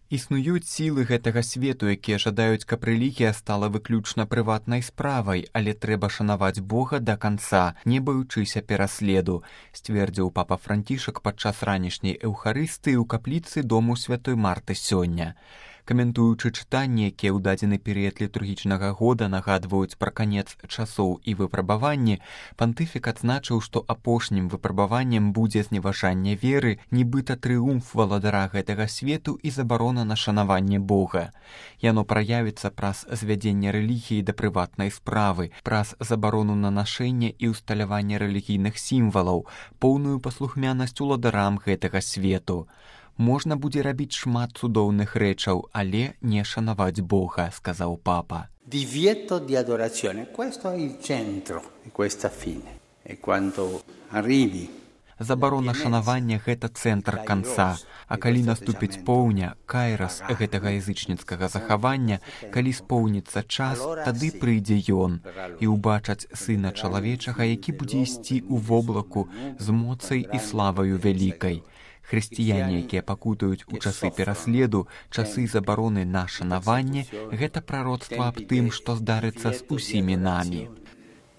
Існуюць сілы гэтага свету, якія жадаюць, каб рэлігія стала выключна прыватнай справай, але трэба шанаваць Бога да канца, не баючыся пераследу, сцвердзіў папа Францішак падчас ранішняй эўхарыстыі ў капліцы дому святой Марты сёння. Каментуючы чытанні, якія ў дадзены перыяд літургічнага года нагадваюць пра канец часоў і выпрабаванні, пантыфік адзначыў, што апошнім выпрабаваннем будзе зневажанне веры, нібыта трыумф валадара гэтага свету і забарона на шанаванне Бога. Яно праявіцца праз звядзенне рэлігіі да прыватнай справы, праз забарону на нашэнне і ўсталяванне рэлігійных сімвалаў, поўную паслухмянасць уладарам гэтага свету. Можна будзе рабіць шмат цудоўных рэчаў, але не шанаваць Бога, сказаў папа. Divieto di adorazione, questo è il centro di questa fine. E quando arrivi Забарона шанавання – гэта цэнтр канца, а калі наступіць поўня, кайрас гэтага язычніцкага захавання, калі споўніцца час, тады прыйдзе ён і ўбачаць Сына Чалавечага, які будзе ісці ў воблаку з моцай і славаю вялікай. Хрысціяне, якія пакутаюць у часы пераследу, часы забароны на шанаванне, гэта прароцтва аб тым, што здарыцца з усімі намі.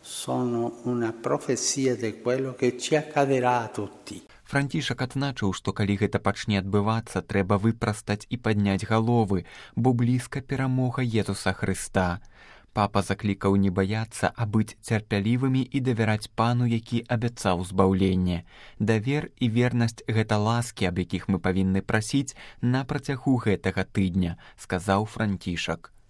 Sono una profezia di quello che ci accadrà a tutti. Францішак адзначыў, што калі гэта пачне адбывацца, трэба выпрастаць і падняць галовы, бо блізка перамога Езуса Хрыста. Папа заклікаў не баяцца, а быць цярпялівымі і давяраць Пану, які абяцаў збаўленне. Давер і вернасць – гэта ласкі, аб якіх мы павінны прасіць на працягу гэтага тыдня, сказаў Францішак.